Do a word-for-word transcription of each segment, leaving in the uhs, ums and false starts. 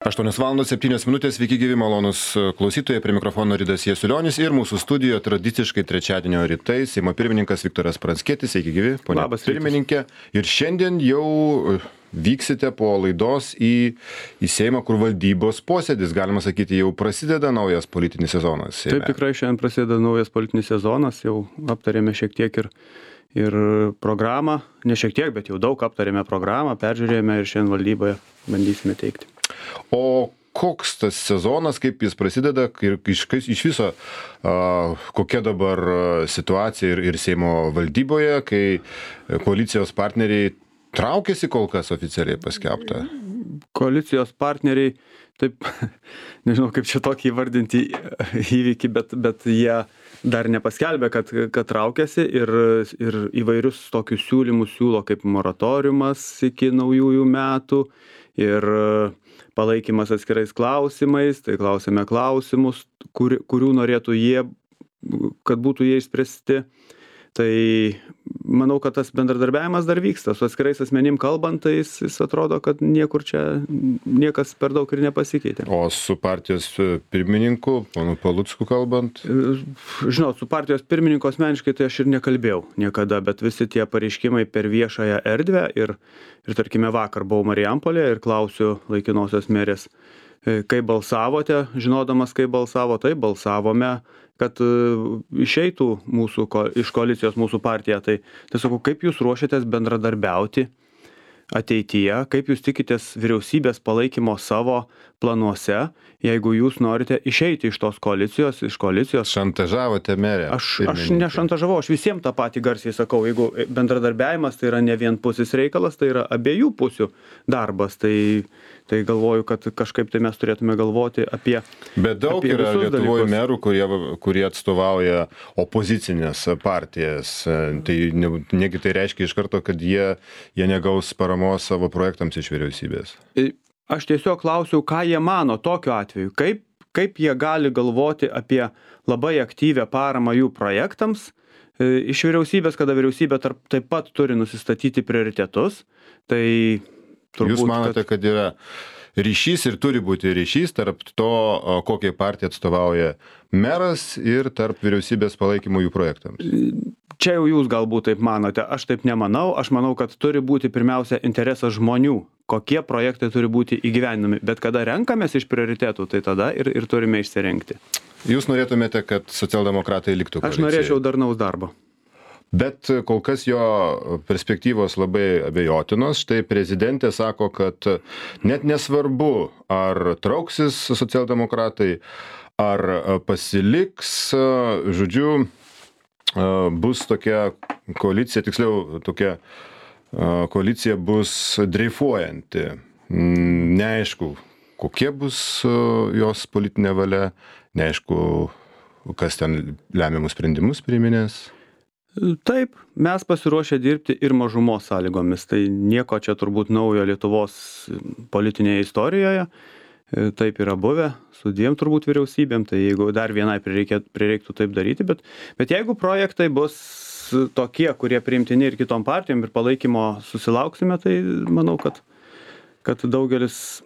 aštuonios valandos septynios minutės, sveiki gyvi malonūs klausytojai, prie mikrofono Ridas Jasiulionis ir mūsų studijoje tradiciškai trečiadienio rytais Seimo pirmininkas Viktoras Pranckietis, sveiki gyvi, ponia pirmininkė. Ir šiandien jau vyksite po laidos į, į Seimą, kur valdybos posėdis, galima sakyti, jau prasideda naujas politinis sezonas. Seime. Taip, tikrai šiandien prasideda naujas politinis sezonas, jau aptarėme šiek tiek ir, ir programą, ne šiek tiek, bet jau daug aptarėme programą, peržiūrėjome ir šiandien valdyboje bandysime teikti. O koks tas sezonas, kaip jis prasideda ir iš, iš viso, a, kokia dabar situacija ir, ir Seimo valdyboje, kai koalicijos partneriai traukiasi, kol kas oficialiai paskelbta? Koalicijos partneriai, taip, nežinau kaip čia tokį įvardinti įvykį, bet, bet jie dar nepaskelbė, kad, kad traukiasi ir, ir įvairius tokius siūlymus siūlo kaip moratoriumas iki naujųjų metų ir palaikymas atskirais klausimais, tai klausėme klausimus, kur, kurių norėtų jie, kad būtų jie išspręsti. Tai manau, kad tas bendradarbiavimas dar vyksta. Su atskirais asmenim kalbant, tai jis, jis atrodo, kad niekur čia niekas per daug ir nepasikeitė. O su partijos pirmininku, ponu Palucku kalbant? Žinot, su partijos pirmininku asmeniškai tai aš ir nekalbėjau niekada, bet visi tie pareiškimai per viešąją erdvę ir, ir tarkime vakar buvau Marijampolėje ir klausiu laikinosios merės, kaip balsavote, žinodamas, kaip balsavo, tai balsavome, kad išeitų mūsų, iš koalicijos mūsų partija. Tai, tai sakau, kaip jūs ruošiatės bendradarbiauti ateityje, kaip jūs tikitės vyriausybės palaikymo savo planuose, jeigu jūs norite išeiti iš tos koalicijos, iš koalicijos. Šantažavote merę. Aš, aš nešantažavau, aš visiems tą patį garsiai sakau, jeigu bendradarbiavimas tai yra ne vienpusis reikalas, tai yra abiejų pusių darbas, tai, tai galvoju, kad kažkaip tai mes turėtume galvoti apie. Bet daug apie yra Lietuvoje dalykus. merų, kurie, kurie atstovauja opozicinės partijas. Tai ne, negi tai reiškia iš karto, kad jie, jie negaus paramos savo projektams iš vyriausybės. Aš tiesiog klausiau, ką jie mano tokiu atveju, kaip, kaip jie gali galvoti apie labai aktyvę paramą jų projektams e, iš vyriausybės, kada vyriausybė tarp, taip pat turi nusistatyti prioritetus. Tai turbūt, Jūs manote, kad... kad yra ryšys ir turi būti ryšys tarp to, kokiai partija atstovauja meras ir tarp vyriausybės palaikymų jų projektams? Čia jau jūs galbūt taip manote, aš taip nemanau, aš manau, kad turi būti pirmiausia interesas žmonių, kokie projektai turi būti įgyvendinami, bet kada renkamės iš prioritetų, tai tada ir, ir turime išsirinkti. Jūs norėtumėte, kad socialdemokratai liktų koalicijoje? Aš norėčiau darnaus darbo. Bet kol kas jo perspektyvos labai abejotinos. Štai prezidentė sako, kad net nesvarbu, ar trauksis socialdemokratai, ar pasiliks, žodžiu, bus tokia koalicija, tiksliau tokia koalicija bus dreifuojanti. Neaišku, kokie bus jos politinė valia, neaišku, kas ten lemiamus sprendimus priiminės. Taip, mes pasiruošę dirbti ir mažumos sąlygomis. Tai nieko čia turbūt naujo Lietuvos politinėje istorijoje. Taip yra buvę su dviem turbūt vyriausybėm, tai jeigu dar vienai prireikėtų, prireiktų taip daryti, bet, bet jeigu projektai bus tokie, kurie priimtini ir kitom partijom ir palaikymo susilauksime, tai manau, kad, kad daugelis,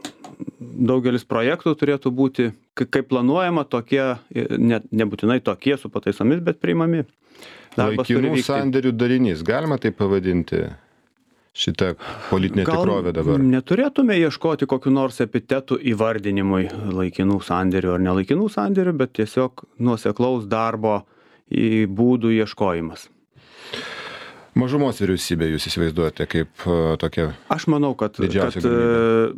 daugelis projektų turėtų būti, kaip planuojama, tokie, ne, nebūtinai tokie su pataisomis, bet priimami. Darbas Laikinų sandėrių darinys, galima tai pavadinti? Šitą politinę Gal tikrovę dabar. Neturėtume ieškoti kokiu nors epitetų įvardinimui laikinų sandėrių ar nelaikinų sandėrių, bet tiesiog nuoseklaus darbo į būdų ieškojimas. Mažumos vyriausybė jūs įsivaizduojate kaip uh, tokia? Aš manau, kad, kad uh,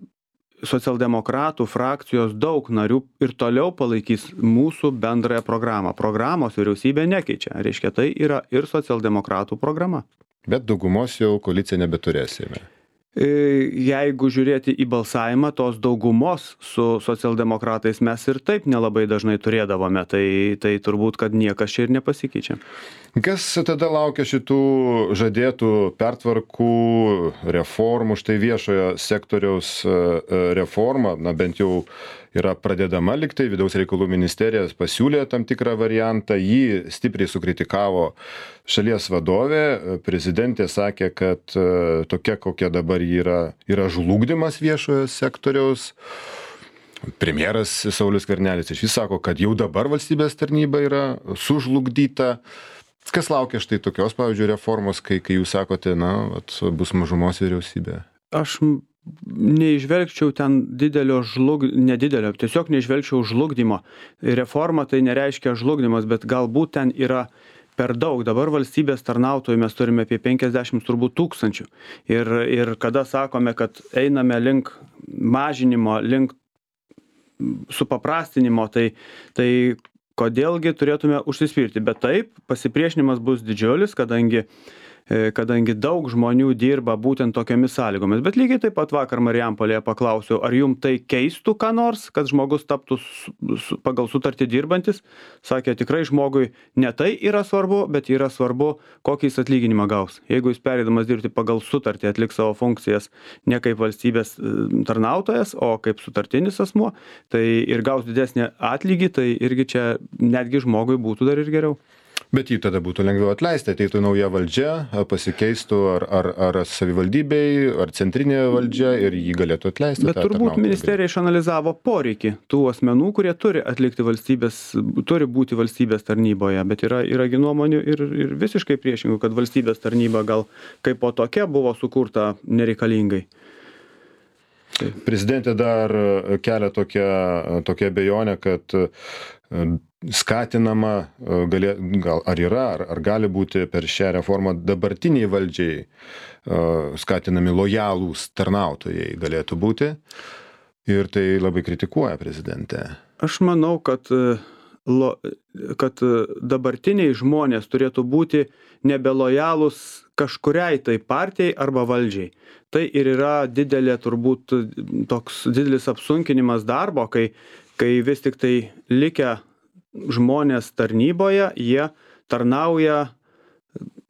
socialdemokratų frakcijos daug narių ir toliau palaikys mūsų bendrąją programą. Programos vyriausybė nekeičia. Reiškia, tai yra ir socialdemokratų programa. Bet daugumos jau koalicija nebeturėsime. Jeigu žiūrėti į balsavimą, tos daugumos su socialdemokratais mes ir taip nelabai dažnai turėdavome, tai, tai turbūt, kad niekas čia ir nepasikeičia. Kas tada laukia šitų žadėtų pertvarkų, reformų, štai viešojo sektoriaus reforma, na bent jau yra pradedama liktai, vidaus reikalų ministerija pasiūlė tam tikrą variantą, jį stipriai sukritikavo šalies vadovė, prezidentė sakė, kad tokia, kokia dabar yra, yra žlugdymas viešojo sektoriaus. Premjeras Saulius Skvernelis išvis sako, kad jau dabar valstybės tarnyba yra sužlugdyta. Kas laukia štai tokios, pavyzdžiui, reformos, kai, kai jūs sakote, na, at, bus mažumos vyriausybė? Aš neižvelgčiau ten didelio žlug... nedidelio, tiesiog neižvelgčiau žlugdymo. Reforma tai nereiškia žlugdymas, bet galbūt ten yra per daug. Dabar valstybės tarnautojų mes turime apie penkiasdešimt turbūt tūkstančių. Ir, ir kada sakome, kad einame link mažinimo, link supaprastinimo, tai, tai kodėlgi turėtume užsispirti. Bet taip, pasipriešinimas bus didžiulis, kadangi kadangi daug žmonių dirba būtent tokiamis sąlygomis. Bet lygiai taip pat vakar Marijampolėje paklausiau, ar jum tai keistų ką nors, kad žmogus taptų su, pagal sutartį dirbantis. Sakė, tikrai žmogui ne tai yra svarbu, bet yra svarbu, kokį jis atlyginimą gaus. Jeigu jis pereidamas dirbti pagal sutartį atliks savo funkcijas ne kaip valstybės tarnautojas, o kaip sutartinis asmuo, tai ir gaus didesnį atlygį, tai irgi čia netgi žmogui būtų dar ir geriau. Bet jį tada būtų lengviau atleisti, ateitų nauja valdžia, pasikeistų ar, ar, ar savivaldybei, ar centrinė valdžia ir jį galėtų atleisti. Bet turbūt ministerija išanalizavo poreikį tų asmenų, kurie turi atlikti valstybės, turi būti valstybės tarnyboje, bet yra, yragi nuomonių ir, ir visiškai priešingų, kad valstybės tarnyba gal kaip po tokia buvo sukurta nereikalingai. Tai. Prezidentė dar kelia tokią, tokią abejonę, kad skatinama, gali, gal, ar yra, ar, ar gali būti per šią reformą dabartiniai valdžiai skatinami lojalūs tarnautojai galėtų būti. Ir tai labai kritikuoja prezidentė. Aš manau, kad, lo, kad dabartiniai žmonės turėtų būti nebelojalūs kažkuriai tai partijai arba valdžiai. Tai ir yra didelė, turbūt toks didelis apsunkinimas darbo, kai, kai vis tik tai likę žmonės tarnyboje, jie tarnauja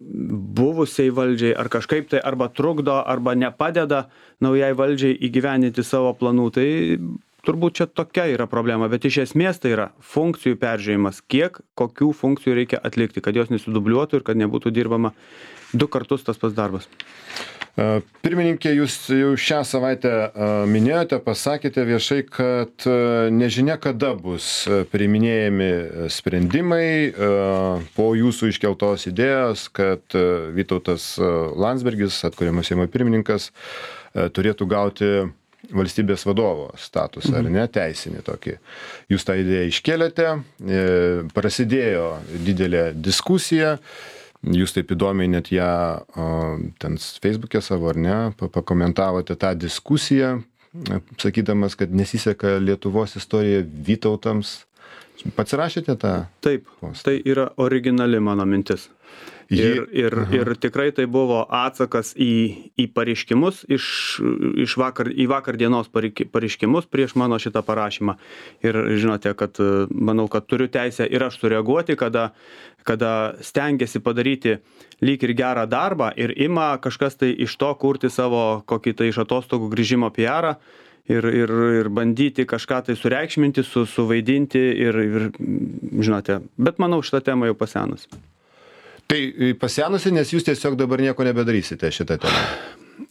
buvusiai valdžiai ar kažkaip tai arba trukdo, arba nepadeda naujai valdžiai įgyvendinti savo planų. Tai turbūt čia tokia yra problema, bet iš esmės tai yra funkcijų peržiūrėjimas, kiek, kokių funkcijų reikia atlikti, kad jos nesidubliuotų ir kad nebūtų dirbama du kartus tas pats darbas. Pirmininkė, jūs jau šią savaitę minėjote, pasakėte viešai, kad nežinia kada bus priiminėjami sprendimai po jūsų iškeltos idėjos, kad Vytautas Landsbergis, atkuriamas Seimo pirmininkas, turėtų gauti valstybės vadovo statusą, ar ne, teisinį tokį. Jūs tą idėją iškėlėte, prasidėjo didelė diskusija. Jūs taip įdomiai net ją ten Facebook'e savo, ar ne, pakomentavote tą diskusiją, sakydamas, kad nesiseka Lietuvos istorija Vytautams. Pats rašėte tą? Taip, postą. Tai yra originali mano mintis. Ir, ir, ir tikrai tai buvo atsakas į, į pareiškimus, iš, iš vakar, į vakar dienos pareiškimus prieš mano šitą parašymą. Ir žinote, kad manau, kad turiu teisę ir aš sureaguoti, kada, kada stengiasi padaryti lyg ir gerą darbą ir ima kažkas tai iš to kurti savo kokį tai iš atostogų grįžimo P R-ą. Ir, ir, ir bandyti kažką tai sureikšminti, su, suvaidinti ir, ir, žinote, bet manau, šitą temą jau pasenusi. Tai pasenusi, nes jūs tiesiog dabar nieko nebedarysite šitą temą.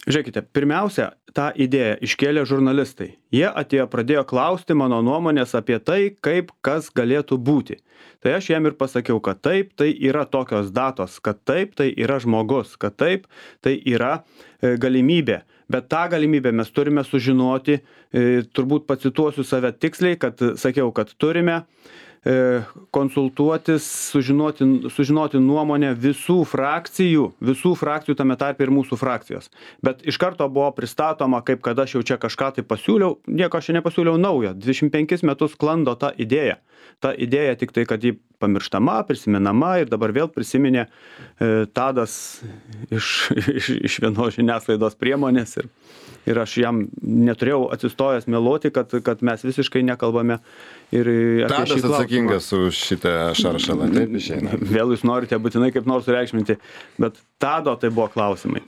Žiūrėkite, pirmiausia, tą idėją iškėlė žurnalistai. Jie atėjo, pradėjo klausti mano nuomonės apie tai, kaip kas galėtų būti. Tai aš jiem ir pasakiau, kad taip, tai yra tokios datos, kad taip, tai yra žmogus, kad taip, tai yra e, galimybė. Bet tą galimybę mes turime sužinoti, e, turbūt pacituosiu save tiksliai, kad sakiau, kad turime e, konsultuotis, sužinoti, sužinoti nuomonę visų frakcijų, visų frakcijų tame tarpe ir mūsų frakcijos. Bet iš karto buvo pristatoma, kaip kad aš jau čia kažką tai pasiūliau, nieko aš čia nepasiūliau naujo, dvidešimt penkis metus sklando ta idėja. Ta idėja tik tai, kad ji pamirštama, prisimenama ir dabar vėl prisiminė e, Tadas iš, iš, iš vienos žiniasklaidos priemonės ir, ir aš jam neturėjau atsistojęs meluoti, kad, kad mes visiškai nekalbame. Ir Tadas atsakingas už šitą šaršalą, taip išeina. Vėl jūs norite būtinai kaip nors sureikšminti, bet Tado tai buvo klausimai.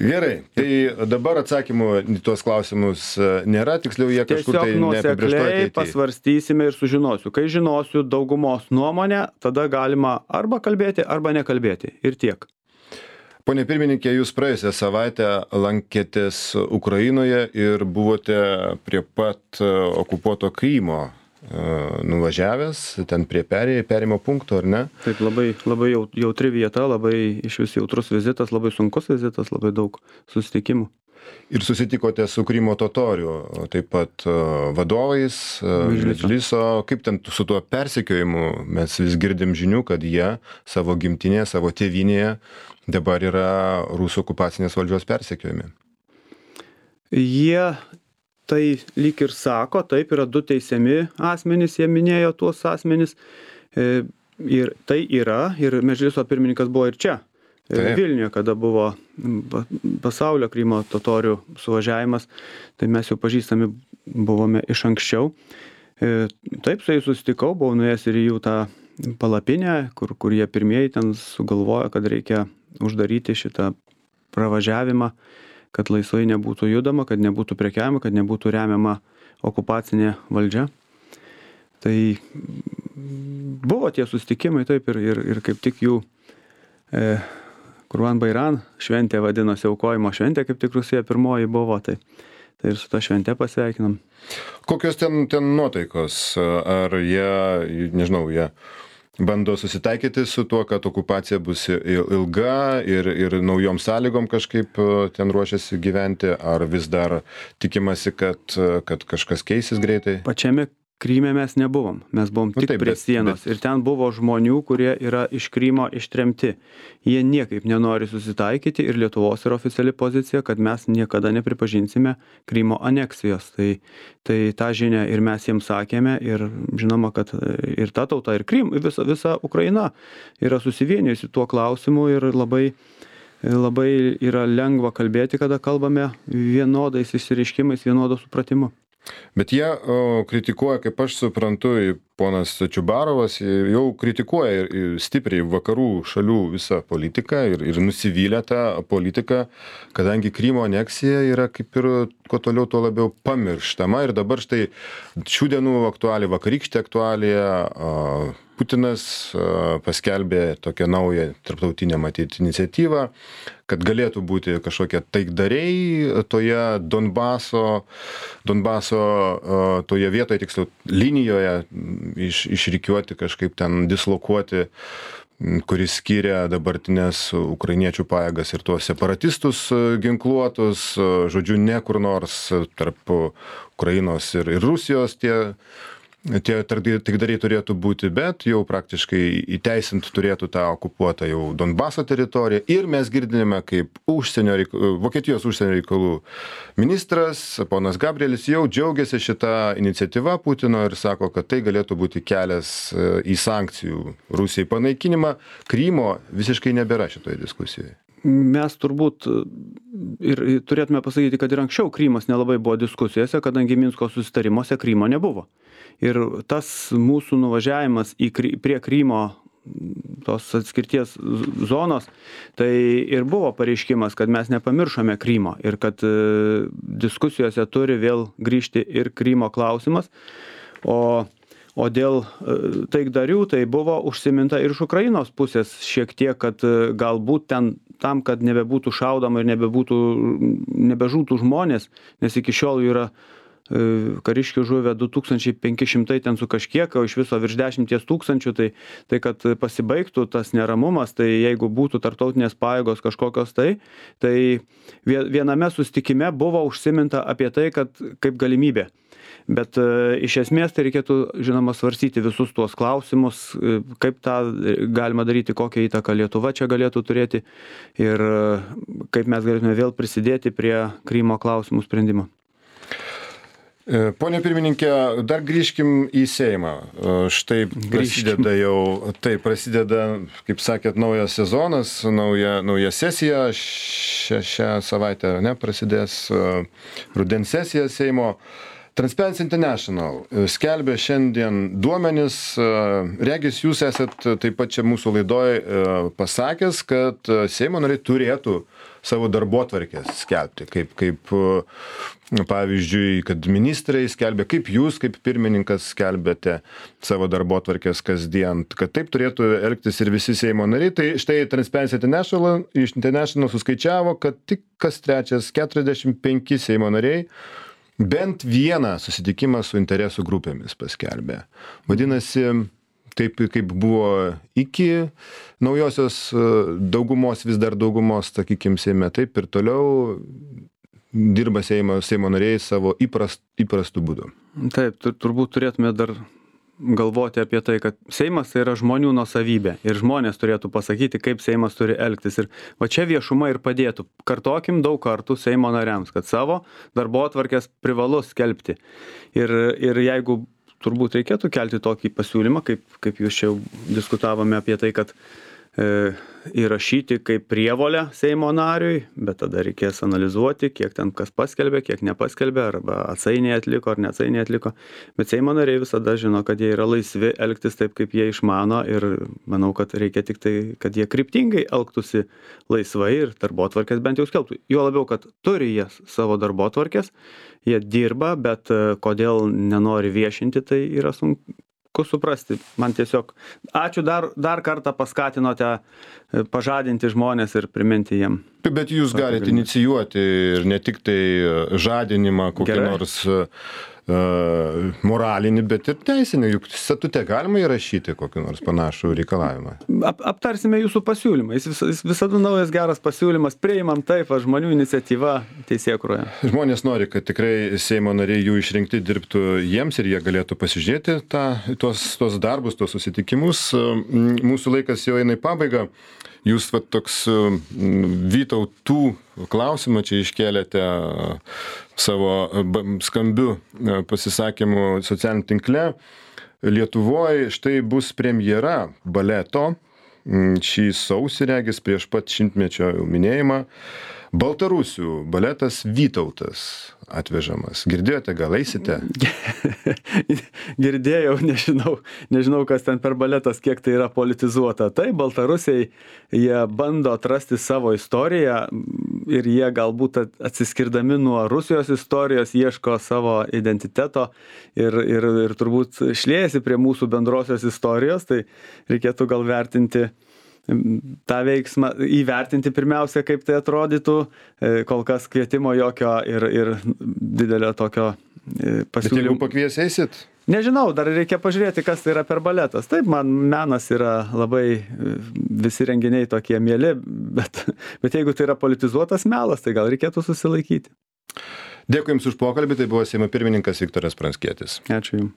Gerai, tai dabar atsakymų į tuos klausimus nėra, tiksliau jie kažkur tai neapibrėžtoj ateity. Tiesiog pasvarstysime ir sužinosiu. Kai žinosiu daugumos nuomonę, tada galima arba kalbėti, arba nekalbėti. Ir tiek. Pone pirmininkė, jūs praėjusią savaitę lankėtės Ukrainoje ir buvote prie pat okupuoto Krymo nuvažiavęs, ten prie perėjimo, perėjimo punkto, ar ne? Taip, labai, labai jautri vieta, labai iš vis jautrus vizitas, labai sunkus vizitas, labai daug susitikimų. Ir susitikote su Krymo totorių, taip pat vadovais, Medžliso. Kaip ten su tuo persekiojimu? Mes vis girdim žinių, kad jie savo gimtinėje, savo tėvynėje dabar yra rusų okupacinės valdžios persekiojami. Jie tai lyg ir sako, taip, yra du teisiami asmenys, jie minėjo tuos asmenys. Ir tai yra, ir Medžliso pirmininkas buvo ir čia. Taip. Vilniuje, kada buvo pasaulio Krymo totorių suvažiavimas, tai mes jau pažįstami buvome iš anksčiau. Taip, su jais susitikau, buvau nuėjęs ir į jų tą palapinę, kur, kur jie pirmieji ten sugalvojo, kad reikia uždaryti šitą pravažiavimą, kad laisvai nebūtų judama, kad nebūtų prekiavima, kad nebūtų remiama okupacinė valdžia. Tai buvo tie susitikimai, taip, ir, ir, ir kaip tik jų e, Kurban Bairan šventė vadinosi, aukojimo šventė, kaip tik rugsėjo pirmoji buvo, tai, tai ir su ta švente pasveikinam. Kokios ten, ten nuotaikos? Ar jie, nežinau, jie bando susitaikyti su tuo, kad okupacija bus ilga ir, ir naujom sąlygom kažkaip ten ruošiasi gyventi, ar vis dar tikimasi, kad, kad kažkas keisis greitai? Pačiame Kryme mes nebuvom, mes buvom tik nu, taip, prie sienos bet, bet... ir ten buvo žmonių, kurie yra iš Krymo ištremti. Jie niekaip nenori susitaikyti ir Lietuvos yra oficiali pozicija, kad mes niekada nepripažinsime Krymo aneksijos. Tai, tai tą žinią ir mes jiems sakėme ir žinoma, kad ir ta tauta, ir Krym, visa, visa Ukraina yra susivienijusi tuo klausimu ir labai, labai yra lengva kalbėti, kada kalbame vienodais išsireiškimais, vienodo supratimu. Bet jie o, kritikuoja, kaip aš suprantu, ponas Čiubarovas jau kritikuoja stipriai vakarų šalių visą politiką ir, ir nusivylę tą politiką, kadangi Krymo aneksija yra kaip ir kuo toliau, tuo labiau pamirštama. Ir dabar štai šių dienų aktualija, vakarykštė aktualija, Putinas paskelbė tokią naują tarptautinę matyt iniciatyvą, kad galėtų būti kažkokie taikdariai toje Donbaso, Donbaso toje vietoje, tiksliau linijoje iš, išrikiuoti, kažkaip ten dislokuoti, kuris skiria dabartinės ukrainiečių pajėgas ir tuos separatistus ginkluotus, žodžiu, ne kur nors tarp Ukrainos ir, ir Rusijos tie Tie taikdariai turėtų būti, bet jau praktiškai įteisint turėtų tą okupuotą jau Donbaso teritoriją. Ir mes girdime, kaip užsienio reikalų, Vokietijos užsienio reikalų ministras, ponas Gabrielis, jau džiaugiasi šitą iniciatyvą Putino ir sako, kad tai galėtų būti kelias į sankcijų Rusijai panaikinimą. Krymo visiškai nebėra šitoje diskusijoje. Mes turbūt ir turėtume pasakyti, kad ir anksčiau Krymas nelabai buvo diskusijose, kadangi Minsko susitarimuose Krymo nebuvo. Ir tas mūsų nuvažiavimas į, prie Krymo tos atskirties zonos, tai ir buvo pareiškimas, kad mes nepamiršome Krymo ir kad diskusijose turi vėl grįžti ir Krymo klausimas. O O dėl taikdarių tai buvo užsiminta ir iš Ukrainos pusės šiek tiek, kad galbūt ten tam, kad nebebūtų šaudama ir nebebūtų, nebežūtų žmonės, nes iki šiol yra kariškių žuvę du tūkstančiai penki šimtai ten su kažkiek, o iš viso virš dešimties tūkstančių, tai, tai kad pasibaigtų tas neramumas, tai jeigu būtų tarptautinės pajėgos kažkokios tai, tai viename susitikime buvo užsiminta apie tai, kad kaip galimybė. Bet e, iš esmės tai reikėtų, žinoma, svarstyti visus tuos klausimus, e, kaip tą galima daryti, kokią įtaką Lietuva čia galėtų turėti ir e, kaip mes galėtume vėl prisidėti prie Krymo klausimų sprendimo. Pone pirmininkė, dar grįžkim į Seimą. Štai prasideda jau, tai prasideda, kaip sakėt, naujas sezonas, nauja, nauja sesija, šią, šią savaitę ne, prasidės rudens sesija Seimo. Transparency International skelbia šiandien duomenis, regis jūs esat taip pat čia mūsų laidoje pasakęs, kad Seimo nariai turėtų savo darbotvarkės skelbti, kaip, kaip pavyzdžiui, kad ministrai skelbia, kaip jūs, kaip pirmininkas skelbėte savo darbotvarkės kasdien, kad taip turėtų elgtis ir visi Seimo nariai. Tai štai Transparency International, International suskaičiavo, kad tik kas trečias keturiasdešimt penki Seimo nariai bent vieną susitikimą su interesų grupėmis paskelbė. Vadinasi, taip kaip buvo iki naujosios daugumos, vis dar daugumos, sakykim, Seime, taip ir toliau dirba Seimo, Seimo nariai savo įprast, įprastų būdų. Taip, turbūt turėtume dar galvoti apie tai, kad Seimas tai yra žmonių nuosavybė ir žmonės turėtų pasakyti, kaip Seimas turi elgtis. Ir va čia viešuma ir padėtų. Kartokim daug kartų Seimo nariams, kad savo darbotvarkės privalu skelbti. Ir, ir jeigu turbūt reikėtų kelti tokį pasiūlymą, kaip, kaip jūs čia jau diskutavome apie tai, kad e, įrašyti kaip prievolę Seimo nariui, bet tada reikės analizuoti, kiek ten kas paskelbė, kiek nepaskelbė, arba atsainiai atliko ar neatsainiai atliko. Bet Seimo nariai visada žino, kad jie yra laisvi elgtis taip, kaip jie išmano, ir manau, kad reikia tik tai, kad jie kryptingai elgtųsi laisvai ir darbotvarkės bent jau skelbtų. Juo labiau, kad turi jie savo darbotvarkės, jie dirba, bet kodėl nenori viešinti, tai yra sunku suprasti. Man tiesiog ačiū dar, dar kartą paskatinote pažadinti žmonės ir priminti jiem. Bet jūs galite inicijuoti ir ne tik tai žadinimą kokį Gerai. nors uh, moralinį, bet ir teisinį. Juk statute galima įrašyti kokį nors panašų reikalavimą. Ap, aptarsime jūsų pasiūlymą. Jis, vis, jis visada naujas geras pasiūlymas. Priimam taip, žmonių iniciatyva teisėkūroje. Žmonės nori, kad tikrai Seimo nariai jų išrinkti dirbtų jiems ir jie galėtų pasižiūrėti tą, tuos, tuos darbus, tuos susitikimus. Mūsų laikas jau eina į pabaigą. Jūs va, toks Vytautų klausimą čia iškėlėte savo skambiu pasisakymu socialiniam tinkle. Lietuvoje štai bus premjera baleto šį sausį, regis, prieš pat šimtmečio minėjimą. Baltarusių baletas Vytautas atvežamas. Girdėjote, gal eisite? Girdėjau, nežinau, nežinau, kas ten per baletas, kiek tai yra politizuota. Tai Baltarusiai, jie bando atrasti savo istoriją ir jie galbūt atsiskirdami nuo Rusijos istorijos ieško savo identiteto ir, ir, ir turbūt šliejasi prie mūsų bendrosios istorijos, tai reikėtų gal vertinti tą veiksmą, įvertinti pirmiausia, kaip tai atrodytų, kol kas kvietimo jokio ir, ir didelio tokio pasiūlymo. Bet jeigu pakvies eisit? Nežinau, dar reikia pažiūrėti, kas tai yra per baletas. Taip, man menas yra labai, visi renginiai tokie mieli, bet, bet jeigu tai yra politizuotas melas, tai gal reikėtų susilaikyti. Dėkui Jums už pokalbį, tai buvo Seimo pirmininkas Viktoras Pranckietis. Ačiū Jums.